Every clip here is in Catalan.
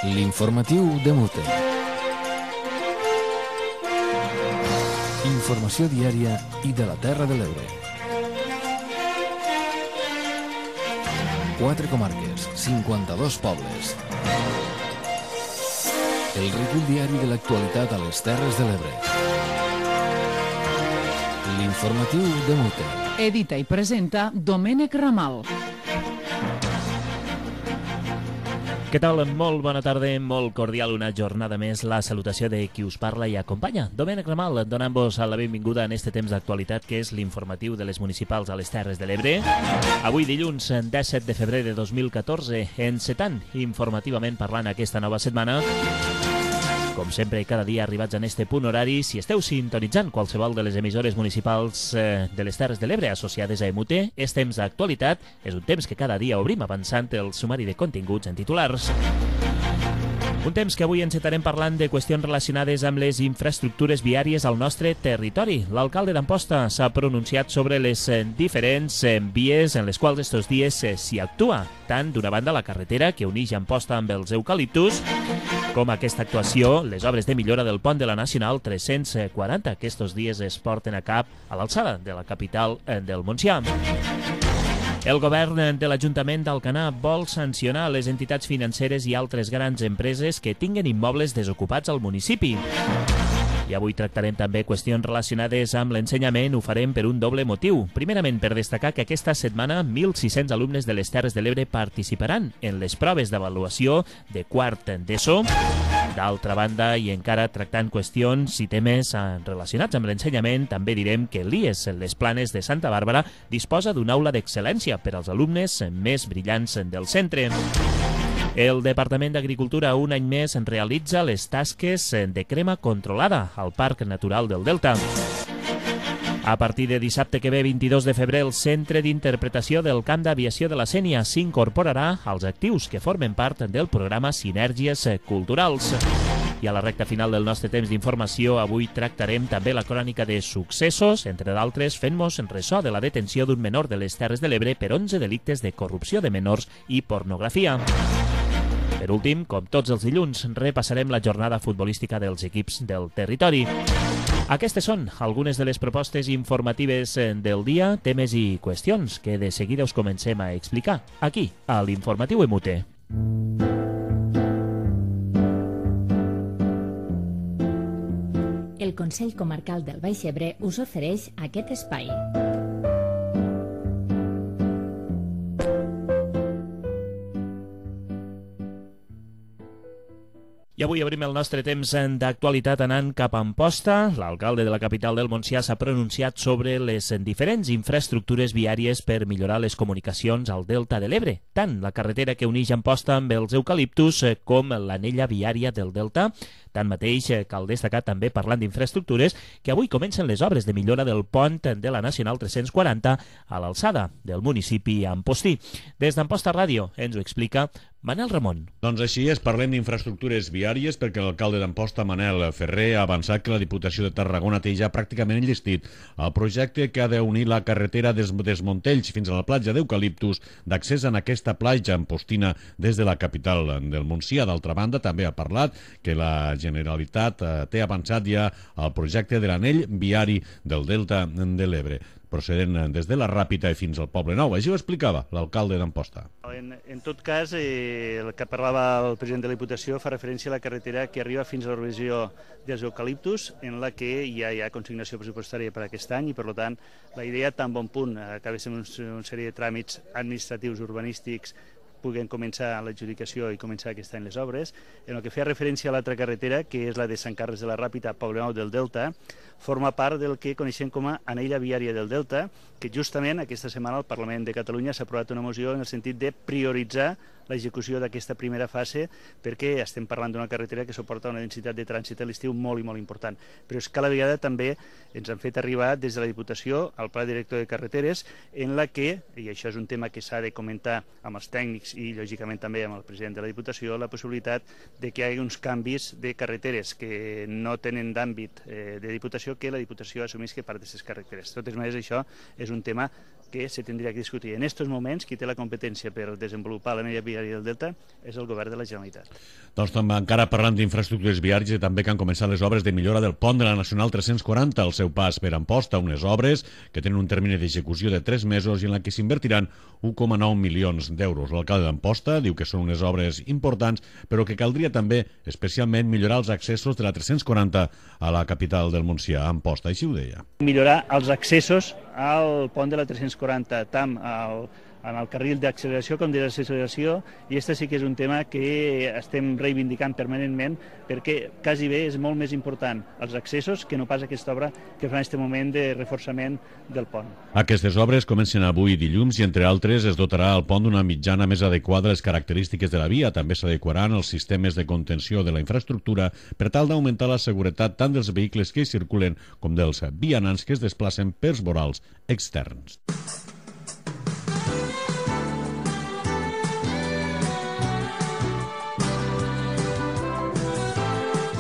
L'informatiu de Mute. Informació diària i de la Terra de l'Ebre. 4 comarques, 52 pobles. El recull diari de l'actualitat a les Terres de l'Ebre. L'informatiu de Mute. Edita i presenta Domènec Ramal. Què tal? Molt bona tarda, molt cordial, una jornada més. La salutació de qui us parla i acompanya. Domènec Ramal, donant-vos la benvinguda en este temps d'actualitat que és l'informatiu de les municipals a les Terres de l'Ebre. Avui dilluns 17 de febrer de 2014, encetant informativament parlant aquesta nova setmana. Com sempre, cada dia arribats en este punt horari, si esteu sintonitzant qualsevol de les emissores municipals de les Terres de l'Ebre associades a EMUT, és temps d'actualitat, és un temps que cada dia obrim avançant el sumari de continguts en titulars. Un temps que avui encetarem parlant de qüestions relacionades amb les infraestructures viàries al nostre territori. L'alcalde d'Amposta s'ha pronunciat sobre les diferents vies en les quals estos dies s'hi actua, tant d'una banda la carretera que uneix Amposta amb els eucaliptus, com aquesta actuació, les obres de millora del pont de la Nacional 340, que estos dies es porten a cap a l'alçada de la capital del Montsià. El govern de l'Ajuntament d'Alcanar vol sancionar les entitats financeres i altres grans empreses que tinguen immobles desocupats al municipi. I avui tractarem també qüestions relacionades amb l'ensenyament. Ho farem per un doble motiu. Primerament, per destacar que aquesta setmana 1.600 alumnes de les Terres de l'Ebre participaran en les proves d'avaluació de quart d'ESO. D'altra banda, i encara tractant qüestions i temes relacionats amb l'ensenyament, també direm que l'IES Les Planes de Santa Bàrbara disposa d'una aula d'excel·lència per als alumnes més brillants del centre. El Departament d'Agricultura un any més realitza les tasques de crema controlada al Parc Natural del Delta. A partir de dissabte que ve, 22 de febrer, el Centre d'Interpretació del Camp d'Aviació de la Sénia s'incorporarà als actius que formen part del programa Sinergies Culturals. I a la recta final del nostre temps d'informació, avui tractarem també la crònica de successos, entre d'altres fent-nos ressò de la detenció d'un menor de les Terres de l'Ebre per 11 delictes de corrupció de menors i pornografia. Per últim, com tots els dilluns, repassarem la jornada futbolística dels equips del territori. Aquestes són algunes de les propostes informatives del dia, temes i qüestions que de seguida us comencem a explicar aquí, a l'Informatiu EMUT. El Consell Comarcal del Baix Ebre us ofereix aquest espai. I avui obrim el nostre temps d'actualitat anant cap a Amposta. L'alcalde de la capital del Montsià s'ha pronunciat sobre les diferents infraestructures viàries per millorar les comunicacions al Delta de l'Ebre, tant la carretera que uneix Amposta amb els eucaliptus com l'anella viària del Delta. Tanmateix, cal destacar també, parlant d'infraestructures, que avui comencen les obres de millora del pont de la Nacional 340 a l'alçada del municipi ampostí. Des d'Amposta Ràdio ens ho explica Manel Ramon. Doncs així és, parlem d'infraestructures viàries perquè l'alcalde d'Amposta, Manel Ferrer, ha avançat que la Diputació de Tarragona té ja pràcticament enllestit el projecte que ha d'unir la carretera des Montells fins a la platja d'Eucaliptus d'accés en aquesta platja ampostina des de la capital del Montsià. D'altra banda, també ha parlat que la Generalitat té avançat ja el projecte de l'anell viari del Delta de l'Ebre, procedent des de la Ràpita i fins al Poble Nou. Així ho explicava l'alcalde d'Amposta. En tot cas, el que parlava el president de la Diputació fa referència a la carretera que arriba fins a la regió dels eucaliptus, en la que ja hi ha consignació pressupostària per aquest any i, per tant, la idea, tan bon punt, acaba sent una sèrie de tràmits administratius urbanístics puguen començar l'adjudicació i començar aquest any les obres. En el que feia referència a l'altra carretera, que és la de Sant Carles de la Ràpita, Poble Nou del Delta, forma part del que coneixem com a anella viària del Delta, que justament aquesta setmana el Parlament de Catalunya s'ha aprovat una moció en el sentit de prioritzar l'execució d'aquesta primera fase, perquè estem parlant d'una carretera que suporta una densitat de trànsit a l'estiu molt i molt important. Però és que a la vegada també ens han fet arribar des de la Diputació al Pla Director de Carreteres, en la que, i això és un tema que s'ha de comentar amb els tècnics i lògicament també amb el president de la Diputació, la possibilitat de que hi hagi uns canvis de carreteres que no tenen d'àmbit de Diputació, que la Diputació assumisca part d'aquestes carreteres. De totes maneres, això és un tema que se tindria que discutir. En aquests moments, qui té la competència per desenvolupar l'àrea viària del Delta és el govern de la Generalitat. Doncs també encara parlant d'infraestructures viàries i també que han començat les obres de millora del pont de la Nacional 340 al seu pas per Amposta, unes obres que tenen un termini d'execució de 3 mesos i en la que s'invertiran 1,9 milions d'euros. L'alcalde d'Amposta diu que són unes obres importants, però que caldria també especialment millorar els accessos de la 340 a la capital del Montsià, Amposta, així ho deia. Millorar els accessos al pont de la 340, tant en el carril d'acceleració com de desacceleració, i aquest sí que és un tema que estem reivindicant permanentment perquè quasi bé és molt més important els accessos que no pas aquesta obra que fa en aquest moment de reforçament del pont. Aquestes obres comencen avui dilluns i, entre altres, es dotarà el pont d'una mitjana més adequada a les característiques de la via. També s'adequaran els sistemes de contenció de la infraestructura per tal d'augmentar la seguretat tant dels vehicles que hi circulen com dels vianants que es desplacen pels vorals externs.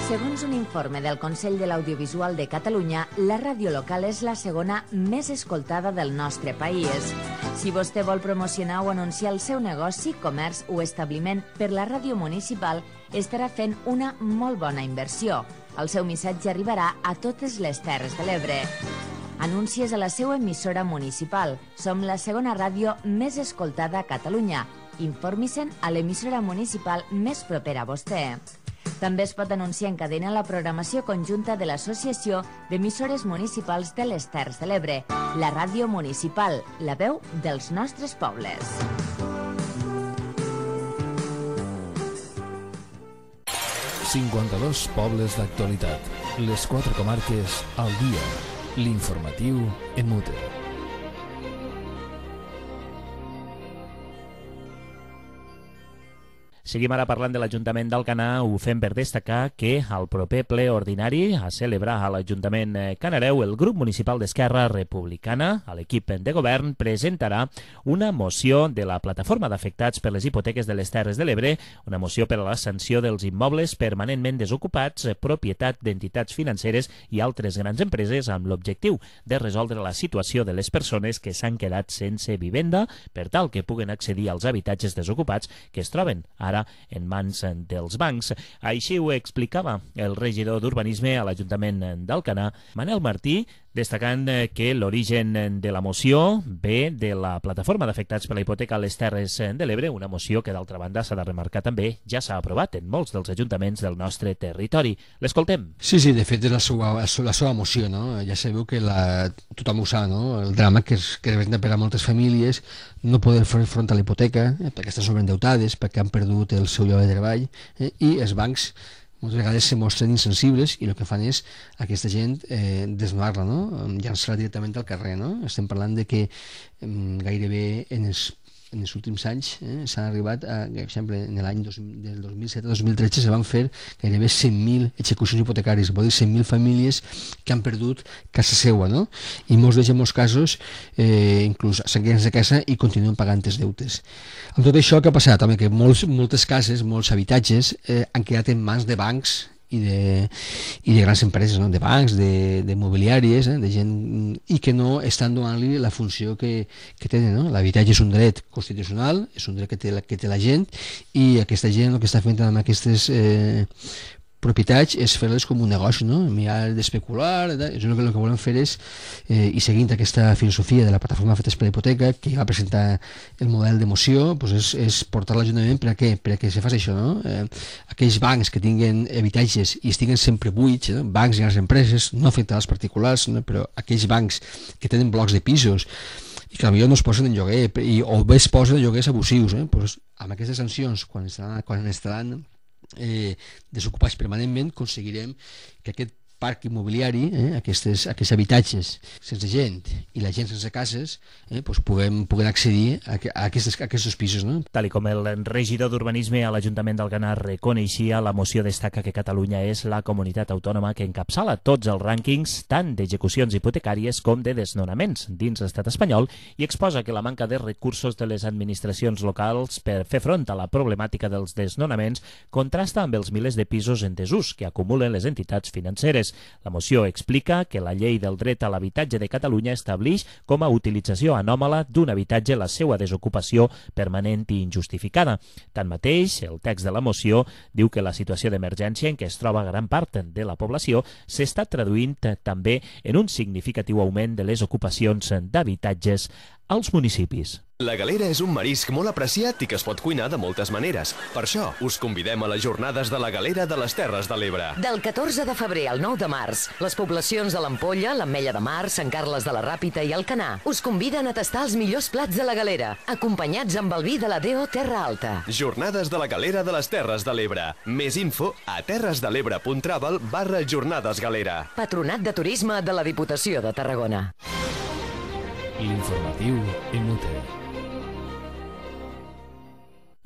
Segons un informe del Consell de l'Audiovisual de Catalunya, la ràdio local és la segona més escoltada del nostre país. Si vostè vol promocionar o anunciar el seu negoci, comerç o establiment per la ràdio municipal, estarà fent una molt bona inversió. El seu missatge arribarà a totes les Terres de l'Ebre. Anuncies a la seva emissora municipal. Som la segona ràdio més escoltada a Catalunya. Informi-se'n a l'emissora municipal més propera a vostè. També es pot anunciar en cadena la programació conjunta de l'Associació d'Emissores Municipals de les Terres de l'Ebre, la ràdio municipal, la veu dels nostres pobles. ...52 pobles d'actualitat. Les 4 comarques al dia. L'informatiu en Mute. Seguim ara parlant de l'Ajuntament d'Alcanar. Ho fem per destacar que al proper ple ordinari a celebrar a l'Ajuntament Canareu, el grup municipal d'Esquerra Republicana, a l'equip de govern, presentarà una moció de la plataforma d'afectats per les hipoteques de les Terres de l'Ebre, una moció per a la sanció dels immobles permanentment desocupats, propietat d'entitats financeres i altres grans empreses, amb l'objectiu de resoldre la situació de les persones que s'han quedat sense vivenda per tal que puguen accedir als habitatges desocupats que es troben ara en mans dels bancs. Així ho explicava el regidor d'Urbanisme a l'Ajuntament d'Alcanar, Manel Martí, destacant que l'origen de la moció ve de la plataforma d'afectats per la hipoteca a les Terres de l'Ebre, una moció que, d'altra banda, s'ha de remarcar també, ja s'ha aprovat en molts dels ajuntaments del nostre territori. L'escoltem. Sí, de fet és la seva moció, no? Ja sabeu que tothom ho sap, no? El drama que representa per a moltes famílies no poder fer front a la hipoteca, perquè estan sobreendeutades, perquè han perdut el seu lloc de treball, i els bancs moltes vegades se mostren insensibles i el que fan és aquesta gent desnonar-la, no? Llançar-la directament al carrer, no? Estem parlant de que gairebé en els últims anys s'han arribat a, per exemple, en l'any del 2007 a 2013 se van fer gairebé 100.000 execucions hipotecàries, vol dir 100.000 famílies que han perdut casa seva, no? I molts d'ells, en molts casos, inclús s'han quedat sense casa i continuen pagant els deutes. Amb tot això, què ha passat? Home, que moltes cases, molts habitatges han quedat en mans de bancs i de grans empreses, no? De bancs, de mobiliàries, de gent, i que no estan donant-li la funció que tenen, no? L'habitatge és un dret constitucional, és un dret que té la gent, i aquesta gent el que està fent amb aquestes propietats és fer-les com un negoci, no? Mirar d'especular, el que volem fer és, i seguint aquesta filosofia de la plataforma Afectats per la Hipoteca, que va presentar el model de moció, és portar l'Ajuntament per a què? Per a que se faci això, no? Aquells bancs que tinguen habitatges i estiguen sempre buits, no? Bancs i grans empreses, no afecten als particulars, no? Però aquells bancs que tenen blocs de pisos i que potser no es posen en lloguer o bé es posen en lloguers abusius, amb aquestes sancions, quan estaran desocupats permanentment, aconseguirem que aquest parc immobiliari, aquests habitatges sense gent i la gent sense cases, puguen accedir a aquests pisos, no? Tal com el regidor d'Urbanisme a l'Ajuntament d'Alcanar reconeixia, la moció destaca que Catalunya és la comunitat autònoma que encapçala tots els rànquings tant d'execucions hipotecàries com de desnonaments dins l'estat espanyol i exposa que la manca de recursos de les administracions locals per fer front a la problemàtica dels desnonaments contrasta amb els milers de pisos en desús que acumulen les entitats financeres. habitatges. La moció explica que la llei del dret a l'habitatge de Catalunya estableix com a utilització anòmala d'un habitatge la seva desocupació permanent i injustificada. Tanmateix, el text de la moció diu que la situació d'emergència en què es troba gran part de la població s'està traduint també en un significatiu augment de les ocupacions d'habitatges als municipis. La galera és un marisc molt apreciat i que es pot cuinar de moltes maneres. Per això, us convidem a les jornades de la galera de les Terres de l'Ebre. Del 14 de febrer al 9 de març, les poblacions de l'Ampolla, l'Ametlla de Mar, Sant Carles de la Ràpita i Alcanar us conviden a tastar els millors plats de la galera, acompanyats amb el vi de la DO Terra Alta. Jornades de la galera de les Terres de l'Ebre. Més info a terresdelebre.travel/jornadesgalera. Patronat de Turisme de la Diputació de Tarragona. L'informatiu inútil.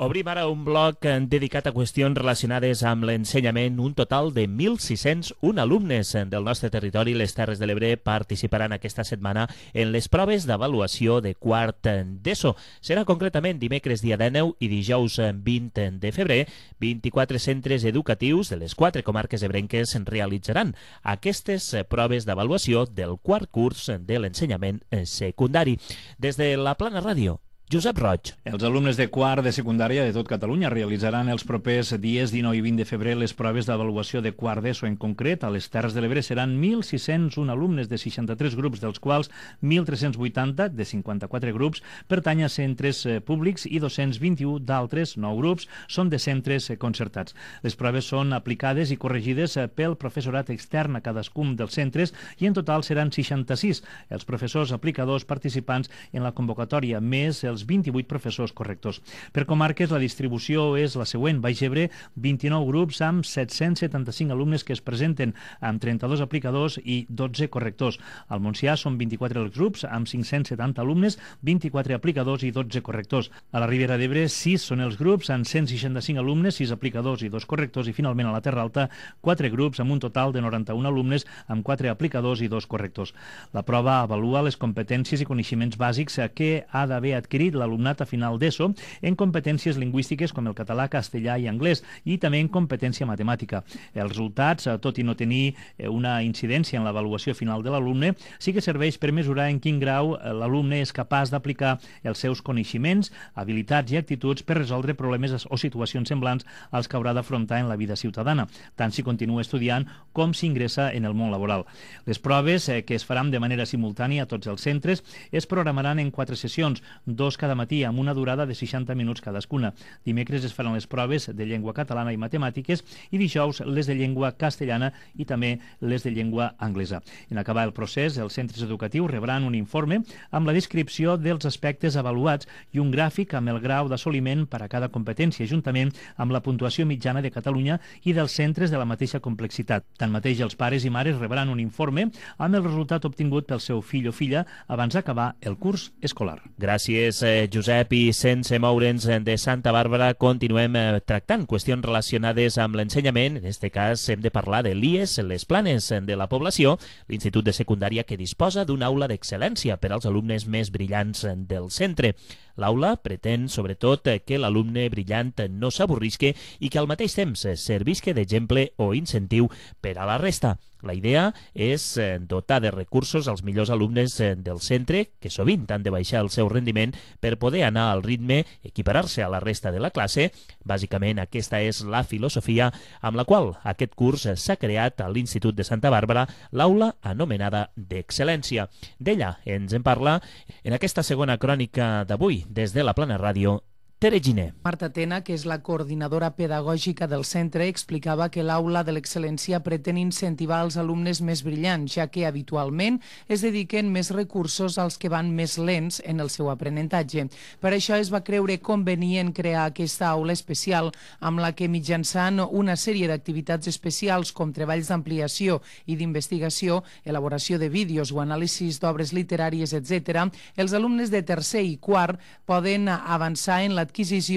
Obrim ara un bloc dedicat a qüestions relacionades amb l'ensenyament. Un total de 1.601 alumnes del nostre territori, les Terres de l'Ebre, participaran aquesta setmana en les proves d'avaluació de quart d'ESO. Serà concretament dimecres dia 19 i dijous 20 de febrer. 24 centres educatius de les 4 comarques ebrenques realitzaran aquestes proves d'avaluació del quart curs de l'ensenyament secundari. Des de la Plana Ràdio, Josep Roig. Els alumnes de quart de secundària de tot Catalunya realitzaran els propers dies 19 i 20 de febrer les proves d'avaluació de quart d'ESO. En concret, a les Terres de l'Ebre seran 1.601 alumnes de 63 grups, dels quals 1.380 de 54 grups pertany a centres públics i 221 d'altres 9 grups són de centres concertats. Les proves són aplicades i corregides pel professorat extern a cadascun dels centres i en total seran 66 els professors aplicadors participants en la convocatòria, més els 28 professors correctors. Per comarques, la distribució és la següent. Baix Ebre, 29 grups amb 775 alumnes que es presenten, amb 32 aplicadors i 12 correctors. Al Montsià són 24 els grups, amb 570 alumnes, 24 aplicadors i 12 correctors. A la Ribera d'Ebre, 6 són els grups, amb 165 alumnes, 6 aplicadors i 2 correctors. I finalment a la Terra Alta, 4 grups amb un total de 91 alumnes, amb 4 aplicadors i 2 correctors. La prova avalua les competències i coneixements bàsics que ha d'haver adquirit l'alumnat a final d'ESO en competències lingüístiques com el català, castellà i anglès i també en competència matemàtica. Els resultats, tot i no tenir una incidència en l'avaluació final de l'alumne, sí que serveix per mesurar en quin grau l'alumne és capaç d'aplicar els seus coneixements, habilitats i actituds per resoldre problemes o situacions semblants als que haurà d'afrontar en la vida ciutadana, tant si continua estudiant com si ingressa en el món laboral. Les proves, que es faran de manera simultània a tots els centres, es programaran en 4 sessions, 2 cada matí amb una durada de 60 minuts cadascuna. Dimecres es faran les proves de llengua catalana i matemàtiques i dijous les de llengua castellana i també les de llengua anglesa. En acabar el procés, els centres educatius rebran un informe amb la descripció dels aspectes avaluats i un gràfic amb el grau d'assoliment per a cada competència, juntament amb la puntuació mitjana de Catalunya i dels centres de la mateixa complexitat. Tanmateix, els pares i mares rebran un informe amb el resultat obtingut pel seu fill o filla abans d'acabar el curs escolar. Gràcies, Josep, i sense moure'ns de Santa Bàrbara continuem tractant qüestions relacionades amb l'ensenyament. En aquest cas hem de parlar de l'IES, les Planes de la Població, l'institut de secundària que disposa d'una aula d'excel·lència per als alumnes més brillants del centre. L'aula pretén, sobretot, que l'alumne brillant no s'avorrisque i que al mateix temps servisca d'exemple o incentiu per a la resta. La idea és dotar de recursos als millors alumnes del centre, que sovint han de baixar el seu rendiment per poder anar al ritme, equiparar-se a la resta de la classe. Bàsicament, aquesta és la filosofia amb la qual aquest curs s'ha creat a l'Institut de Santa Bàrbara l'aula anomenada d'excel·lència. D'ella ens en parla en aquesta segona crònica d'avui, des de la Plana Ràdio, Tere Giner. Marta Tena, que és la coordinadora pedagògica del centre, explicava que l'aula de l'excel·lència pretén incentivar els alumnes més brillants, ja que habitualment es dediquen més recursos als que van més lents en el seu aprenentatge. Per això es va creure convenient crear aquesta aula especial, amb la que mitjançant una sèrie d'activitats especials com treballs d'ampliació i d'investigació, elaboració de vídeos o anàlisis d'obres literàries, etc., els alumnes de tercer i quart poden avançar en l'adquisició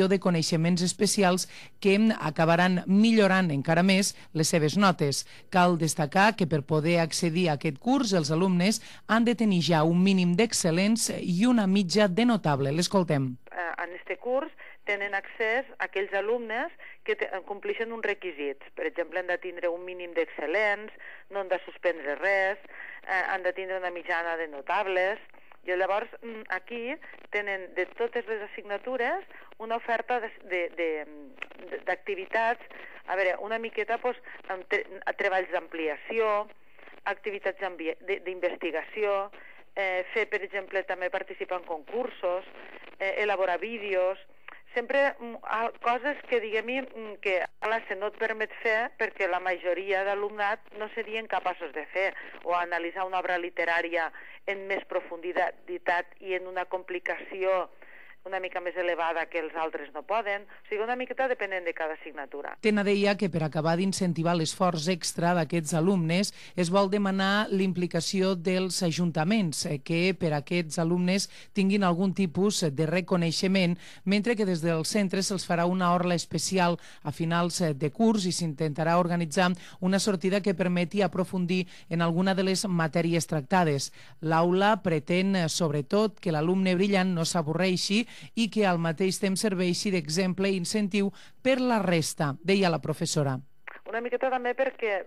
de coneixements especials que acabaran millorant encara més les seves notes. Cal destacar que per poder accedir a aquest curs els alumnes han de tenir ja un mínim d'excel·lents i una mitja de notable. L'escoltem. En este curs tenen accés a aquells alumnes que compleixen uns requisits. Per exemple, han de tindre un mínim d'excel·lents, no han de suspendre res, han de tindre una mitjana de notables. I llavors aquí tenen de totes les assignatures una oferta d'activitats, a veure, una miqueta treballs d'ampliació, activitats d'investigació, fer, per exemple, també participar en concursos, elaborar vídeos, sempre coses que, diguem, que a classe no et permet fer perquè la majoria d'alumnat no serien capaços de fer, o analitzar una obra literària en més profunditat i en una complicació una mica més elevada que els altres no poden. O sigui, una miqueta depenent de cada assignatura. Tena deia que per acabar d'incentivar l'esforç extra d'aquests alumnes es vol demanar l'implicació dels ajuntaments, que per a aquests alumnes tinguin algun tipus de reconeixement, mentre que des del centre se'ls farà una orla especial a finals de curs i s'intentarà organitzar una sortida que permeti aprofundir en alguna de les matèries tractades. L'aula pretén, sobretot, que l'alumne brillant no s'avorreixi i que al mateix temps serveixi d'exemple i incentiu per la resta, deia la professora. Una miqueta també perquè,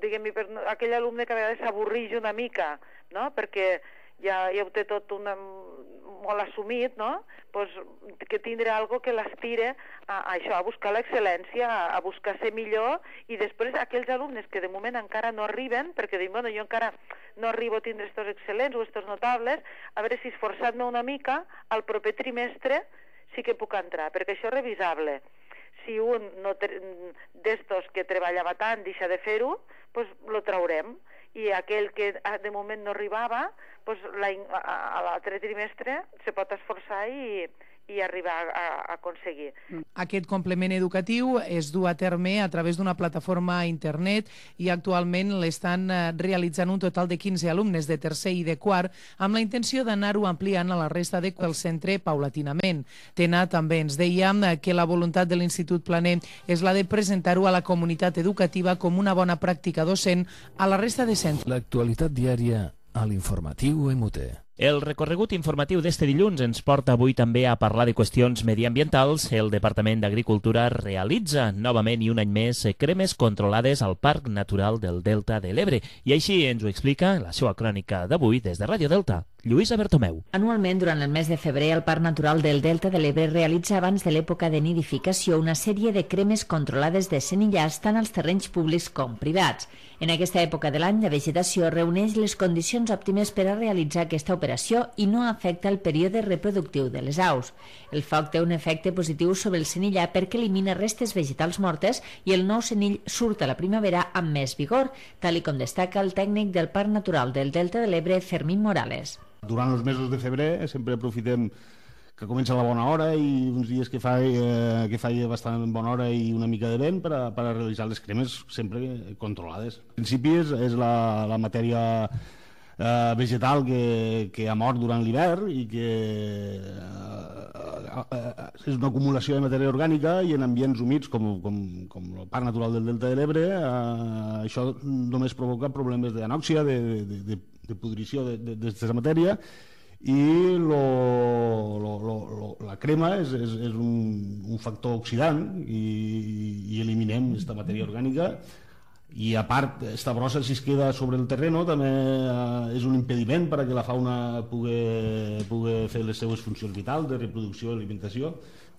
diguem-hi, per aquell alumne que a vegades s'avorreix una mica, no? Perquè ja ho té tot molt assumit, no? Pues que tindrà algo que l'estire a això, a buscar l'excel·lència, a buscar ser millor, i després aquells alumnes que de moment encara no arriben, perquè diuen, bueno, jo encara no arribo a tindre estos excel·lents o estos notables, a veure si esforçant-me una mica, al proper trimestre sí que puc entrar, perquè això és revisable. Si un d'estos que treballava tant deixa de fer-ho, doncs lo traurem. I aquell que de moment no arribava, doncs a l'altre trimestre se pot esforçar i arribar a aconseguir. Aquest complement educatiu es du a terme a través d'una plataforma a internet i actualment l'estan realitzant un total de 15 alumnes de tercer i de quart amb la intenció d'anar-ho ampliant a la resta del centre paulatinament. Tena també ens deia que la voluntat de l'Institut Planer és la de presentar-ho a la comunitat educativa com una bona pràctica docent a la resta de centres. L'actualitat diària a l'informatiu MUT. El recorregut informatiu d'este dilluns ens porta avui també a parlar de qüestions mediambientals. El Departament d'Agricultura realitza novament i un any més cremes controlades al Parc Natural del Delta de l'Ebre. I així ens ho explica la seva crònica d'avui des de Ràdio Delta, Lluïsa Bertomeu. Anualment, durant el mes de febrer, el Parc Natural del Delta de l'Ebre realitza abans de l'època de nidificació una sèrie de cremes controlades de senillars tant als terrenys públics com privats. En aquesta època de l'any, la vegetació reuneix les condicions òptimes per a realitzar aquesta operació i no afecta el període reproductiu de les aus. El foc té un efecte positiu sobre el senillar perquè elimina restes vegetals mortes i el nou senill surt a la primavera amb més vigor, tal com destaca el tècnic del Parc Natural del Delta de l'Ebre, Fermín Morales. Durant els mesos de febrer sempre aprofitem que comença la bona hora i uns dies que fa bastant bona hora i una mica de vent per a realitzar les cremes sempre controlades. En principi és la matèria vegetal que ha mort durant l'hivern i que és una acumulació de matèria orgànica i en ambients humits com el Parc Natural del Delta de l'Ebre això només provoca problemes d'anòxia, de pudrició d'aquesta matèria i la crema és un factor oxidant i eliminem aquesta matèria orgànica i a part, esta brossa si es queda sobre el terreno també és un impediment perquè la fauna pugui fer les seves funcions vitals de reproducció i alimentació.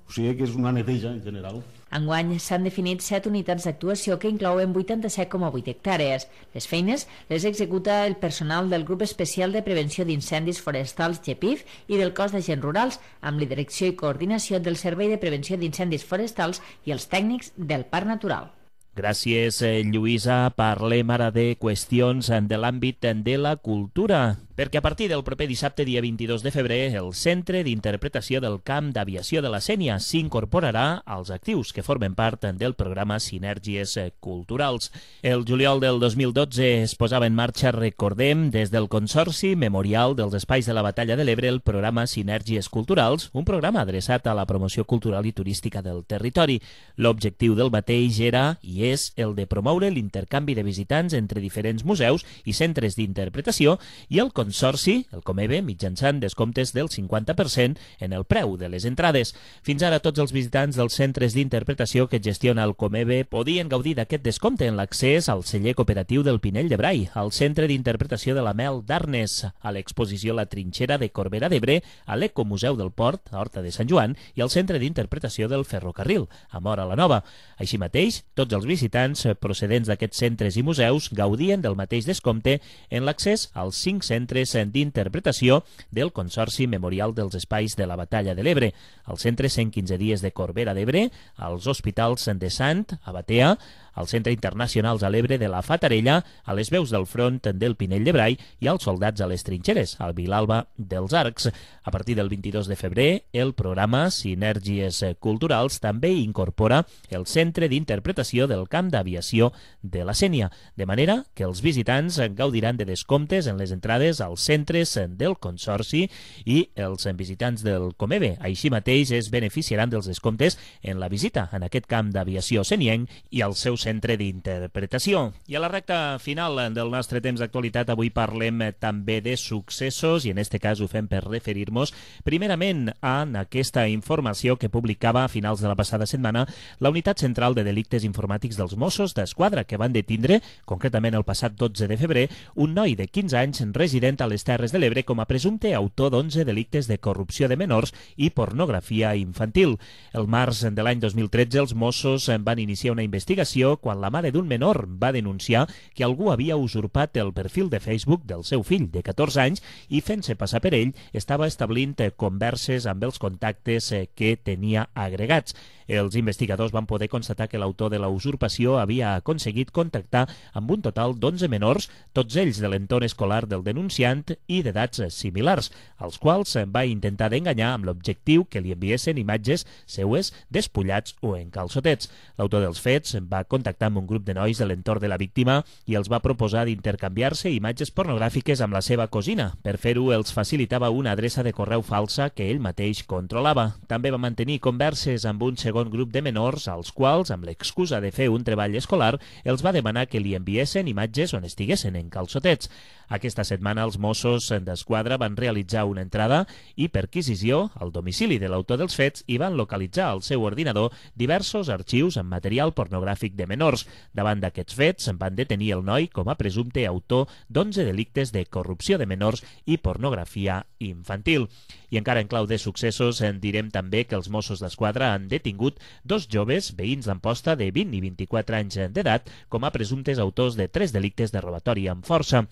O sigui que és una neteja en general. Enguany s'han definit 7 unitats d'actuació que inclouen 87,8 hectàrees. Les feines les executa el personal del Grup Especial de Prevenció d'Incendis Forestals GEPIF i del Cos d'Agents Rurals, amb la direcció i coordinació del Servei de Prevenció d'Incendis Forestals i els tècnics del Parc Natural. Gràcies, Lluïsa. Parlem ara de qüestions de l'àmbit de la cultura, perquè a partir del proper dissabte, dia 22 de febrer, el Centre d'Interpretació del Camp d'Aviació de la Sénia s'incorporarà als actius que formen part del programa Sinergies Culturals. El juliol del 2012 es posava en marxa, recordem, des del Consorci Memorial dels Espais de la Batalla de l'Ebre, el programa Sinergies Culturals, un programa adreçat a la promoció cultural i turística del territori. L'objectiu del mateix era i és el de promoure l'intercanvi de visitants entre diferents museus i centres d'interpretació i el Consorci, el Comebe, mitjançant descomptes del 50% en el preu de les entrades. Fins ara, tots els visitants dels centres d'interpretació que gestiona el Comebe podien gaudir d'aquest descompte en l'accés al celler cooperatiu del Pinell de Brai, al centre d'interpretació de la Mel d'Arnes, a l'exposició La Trinxera de Corbera d'Ebre, a l'Ecomuseu del Port, a Horta de Sant Joan, i al centre d'interpretació del Ferrocarril, a Móra la Nova. Així mateix, tots els visitants procedents d'aquests centres i museus gaudien del mateix descompte en l'accés als 5 centres d'interpretació del Consorci Memorial dels Espais de la Batalla de l'Ebre, al Centre 115 Dies de Corbera d'Ebre, als Hospitals de Sant, a Batea, al Centre Internacionals a l'Ebre de la Fatarella, a les Veus del Front del Pinell de Brai i als Soldats a les Trinxeres, al Vilalba dels Arcs. A partir del 22 de febrer, el programa Sinergies Culturals també incorpora el Centre d'Interpretació del Camp d'Aviació de la Sénia, de manera que els visitants gaudiran de descomptes en les entrades als centres del Consorci i els visitants del Comebe. Així mateix es beneficiaran dels descomptes en la visita en aquest camp d'aviació senienc i al seu centre d'interpretació. I a la recta final del nostre temps d'actualitat avui parlem també de successos i en este cas ho fem per referir-nos primerament a aquesta informació que publicava a finals de la passada setmana la Unitat Central de Delictes Informàtics dels Mossos d'Esquadra, que van detindre, concretament el passat 12 de febrer, un noi de 15 anys resident a les Terres de l'Ebre com a presumpte autor d'11 delictes de corrupció de menors i pornografia infantil. El març de l'any 2013 els Mossos van iniciar una investigació quan la mare d'un menor va denunciar que algú havia usurpat el perfil de Facebook del seu fill de 14 anys i fent-se passar per ell estava establint converses amb els contactes que tenia agregats. Els investigadors van poder constatar que l'autor de la usurpació havia aconseguit contactar amb un total d'11 menors, tots ells de l'entorn escolar del denunciant i d'edats similars, als quals va intentar d'enganyar amb l'objectiu que li enviessin imatges seues despullats o en calçotets. L'autor dels fets va contactar amb un grup de nois de l'entorn de la víctima i els va proposar d'intercanviar-se imatges pornogràfiques amb la seva cosina. Per fer-ho, els facilitava una adreça de correu falsa que ell mateix controlava. També va mantenir converses amb un segon grup de menors als quals, amb l'excusa de fer un treball escolar, els va demanar que li enviessin imatges on estiguessin en calçotets. Aquesta setmana els Mossos d'Esquadra van realitzar una entrada i perquisició al domicili de l'autor dels fets i van localitzar al seu ordinador diversos arxius amb material pornogràfic de menors. Davant d'aquests fets van detenir el noi com a presumpte autor d'11 delictes de corrupció de menors i pornografia infantil. I encara en clau de successos direm també que els Mossos d'Esquadra han detingut 2 joves veïns d'Amposta de 20 i 24 anys d'edat com a presumptes autors de 3 delictes de robatori amb força.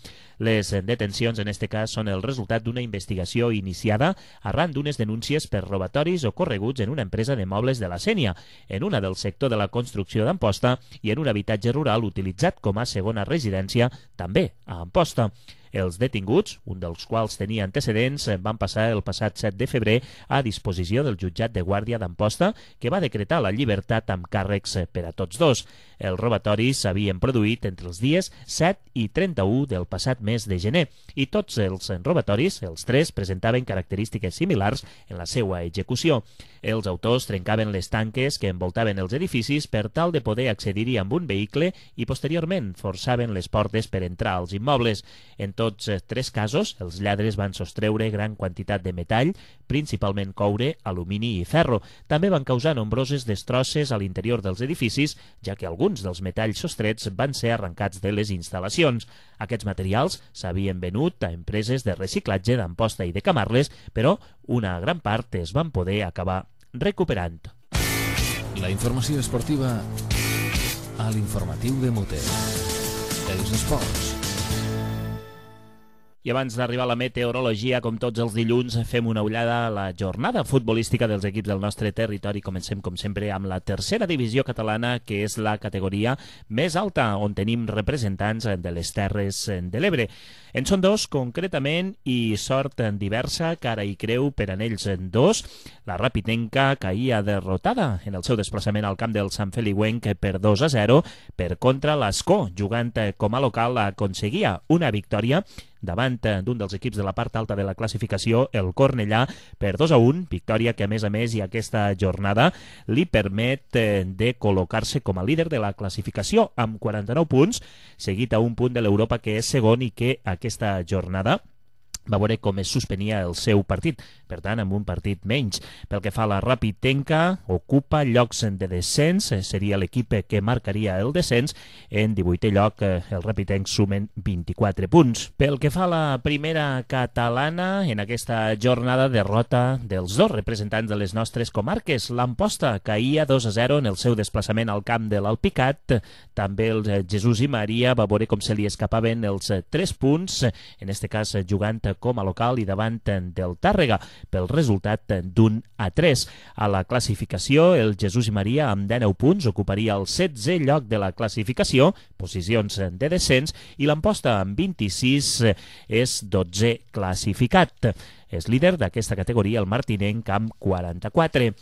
Les detencions en este cas són el resultat d'una investigació iniciada arran d'unes denúncies per robatoris ocorreguts en una empresa de mobles de la Sénia, en una del sector de la construcció d'Amposta i en un habitatge rural utilitzat com a segona residència també a Amposta. Els detinguts, un dels quals tenia antecedents, van passar el passat 7 de febrer a disposició del jutjat de guàrdia d'Amposta, que va decretar la llibertat amb càrrecs per a tots dos. Els robatoris s'havien produït entre els dies 7 i 31 del passat mes de gener, i tots els robatoris, els 3, presentaven característiques similars en la seva execució. Els autors trencaven les tanques que envoltaven els edificis per tal de poder accedir-hi amb un vehicle i posteriorment forçaven les portes per entrar als immobles. En tots 3 casos, els lladres van sostreure gran quantitat de metall, principalment coure, alumini i ferro. També van causar nombroses destrosses a l'interior dels edificis, ja que alguns dels metalls sostrets van ser arrencats de les instal·lacions. Aquests materials s'havien venut a empreses de reciclatge d'Amposta i de Camarles, però una gran part es van poder acabar recuperant. La informació esportiva a l'informatiu de Mute. Els esports. I abans d'arribar a la meteorologia, com tots els dilluns, fem una ullada a la jornada futbolística dels equips del nostre territori. Comencem, com sempre, amb la tercera divisió catalana, que és la categoria més alta, on tenim representants de les Terres de l'Ebre. En són 2, concretament, i sort diversa, cara i creu per en ells 2. La Rapitenca caïa derrotada en el seu desplaçament al camp del Sant Feliuenc per 2-0. Per contra, l'Escó, jugant com a local, aconseguia una victòria davant d'un dels equips de la part alta de la classificació, el Cornellà, per 2-1, victòria que a més i aquesta jornada li permet de col·locar-se com a líder de la classificació amb 49 punts, seguit a un punt de l'Europa que és segon i que aquesta jornada va veure com es suspenia el seu partit, per tant, amb un partit menys. Pel que fa a la Rapitenca, ocupa llocs de descens, seria l'equip que marcaria el descens. En 18è lloc, el Rapitenc sumen 24 punts. Pel que fa a la primera catalana, en aquesta jornada derrota dels dos representants de les nostres comarques. L'Amposta caïa 2-0 en el seu desplaçament al camp de l'Alpicat. També el Jesús i Maria va veure com se li escapaven els 3 punts, en este cas jugant com a local i davant del Tàrrega, pel resultat d'1-3. A la classificació, el Jesús i Maria amb 19 punts ocuparia el 16è lloc de la classificació, posicions de descens, i l'Amposta amb 26 és 12è classificat. És líder d'aquesta categoria el martinenc amb 44.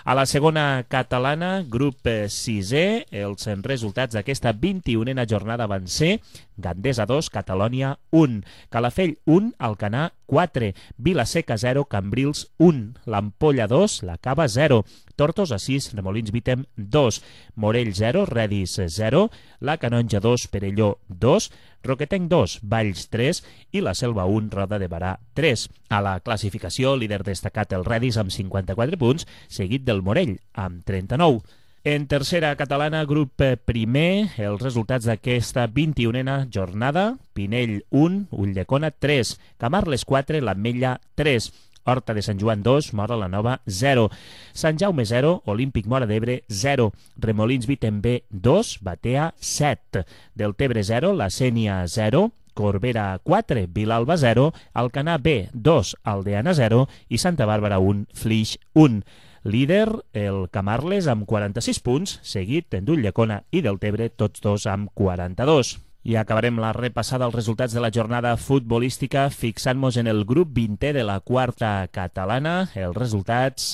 A la segona catalana, grup 6è, els resultats d'aquesta 21a jornada van ser Gandesa 2, Catalònia 1, Calafell 1, Alcanar 4, Vilaseca 0, Cambrils 1, l'Ampolla 2, la Cava 0, Tortosa 6, Remolins Vítem 2, Morell 0, Redis 0, la Canonja 2, Perelló 2, Roquetenc 2, Valls 3 i la Selva 1, Roda de Barà 3. A la classificació, líder destacat el Redis amb 54 punts, seguit del Morell amb 39. En tercera catalana, grup primer, els resultats d'aquesta 21a jornada: Pinell 1, Ulldecona 3, Camarles 4, l'Ametlla 3, Horta de Sant Joan 2, Móra la Nova 0, Sant Jaume 0, Olímpic Móra d'Ebre 0, Remolins Vítem B 2, Batea 7, Deltebre 0, La Sénia 0, Corbera 4, Vilalba 0, Alcanar B 2, Aldeana 0 i Santa Bàrbara 1, Flix 1. Líder, el Camarles, amb 46 punts, seguit d'Ulldecona i Deltebre, tots dos amb 42. I acabarem la repassada als resultats de la jornada futbolística fixant-nos en el grup 20è de la quarta catalana. Els resultats: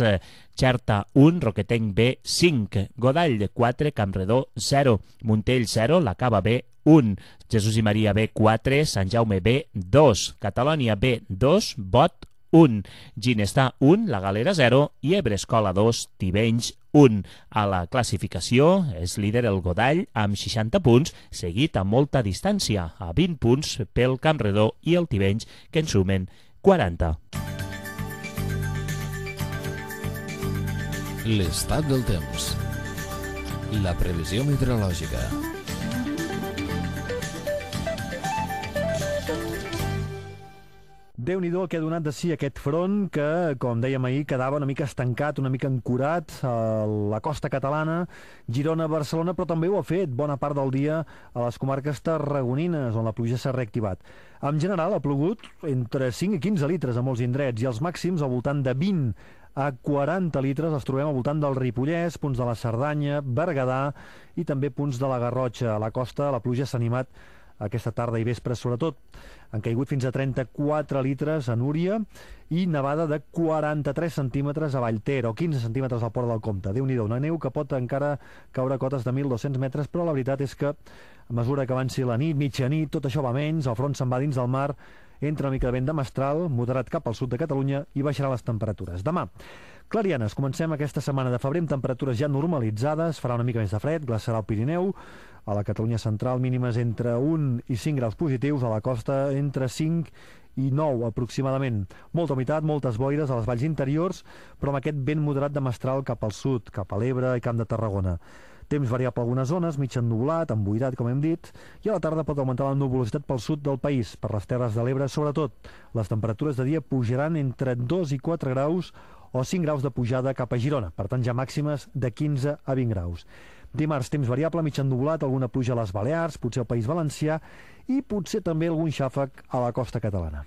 Xerta 1, Roquetenc B 5, Godall 4, Campredó 0, Montell 0, la Cava B 1, Jesús i Maria B 4, Sant Jaume B 2, Catalònia B 2, Bot 1, Ginestar 1, La Galera 0 i Ebrescola 2, Tivenys 1. A la classificació és líder el Godall amb 60 punts, seguit a molta distància, a 20 punts pel Campredó i el Tivenys, que en sumen 40. L'estat del temps. La previsió meteorològica. Déu-n'hi-do el que ha donat de si aquest front que, com dèiem ahir, quedava una mica estancat, una mica ancorat a la costa catalana, Girona, Barcelona, però també ho ha fet bona part del dia a les comarques tarragonines, on la pluja s'ha reactivat. En general ha plogut entre 5 i 15 litres a molts indrets i els màxims al voltant de 20 a 40 litres els trobem al voltant del Ripollès, punts de la Cerdanya, Berguedà i també punts de la Garrotxa. A la costa la pluja s'ha animat aquesta tarda i vespre sobretot. Han caigut fins a 34 litres a Núria i nevada de 43 centímetres a Vallter o 15 centímetres al Port del Comte. Déu-n'hi-do, una neu que pot encara caure a cotes de 1.200 metres, però la veritat és que a mesura que avanci la nit, mitjanit, tot això va menys, el front se'n va dins del mar, entra una mica de vent de mestral, moderat cap al sud de Catalunya i baixarà les temperatures. Demà, clarianes, comencem aquesta setmana de febrer amb temperatures ja normalitzades, farà una mica més de fred, glaçarà el Pirineu, a la Catalunya central mínimes entre 1 i 5 graus positius, a la costa entre 5 i 9 aproximadament. Molta humitat, moltes boires a les valls interiors, però amb aquest vent moderat de mestral cap al sud, cap a l'Ebre i Camp de Tarragona. Temps variable a algunes zones, mig ennublat, emboirat, com hem dit, i a la tarda pot augmentar la nuvolositat pel sud del país, per les terres de l'Ebre sobretot. Les temperatures de dia pujaran entre 2 i 4 graus o 5 graus de pujada cap a Girona, per tant ja màximes de 15 a 20 graus. Dimarts, temps variable, mig ennublat, alguna pluja a les Balears, potser al País Valencià i potser també algun xàfec a la costa catalana.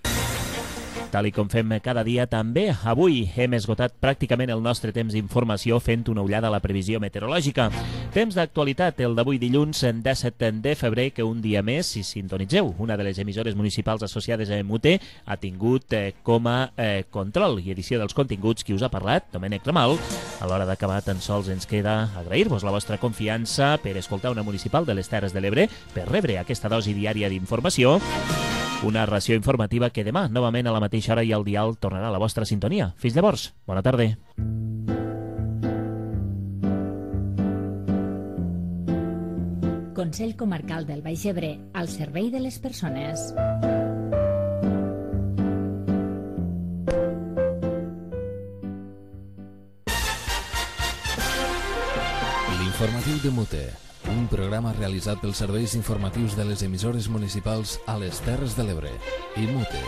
Tal i com fem cada dia, també avui hem esgotat pràcticament el nostre temps d'informació fent una ullada a la previsió meteorològica. Temps d'actualitat, el d'avui dilluns 17 de febrer, que un dia més, si sintonitzeu una de les emissores municipals associades a MUT, ha tingut com a control i edició dels continguts qui us ha parlat, Domènec Ramal. A l'hora d'acabar, tan sols ens queda agrair-vos la vostra confiança per escoltar una municipal de les Terres de l'Ebre, per rebre aquesta dosi diària d'informació Una ració informativa que demà, novament a la mateixa hora i al dial, tornarà a la vostra sintonia. Fins llavors, bona tarda. Consell Comarcal del Baix Ebre, al servei de les persones. L'informatiu de Mute, un programa realitzat pels serveis informatius de les emissores municipals a les Terres de l'Ebre i Mute.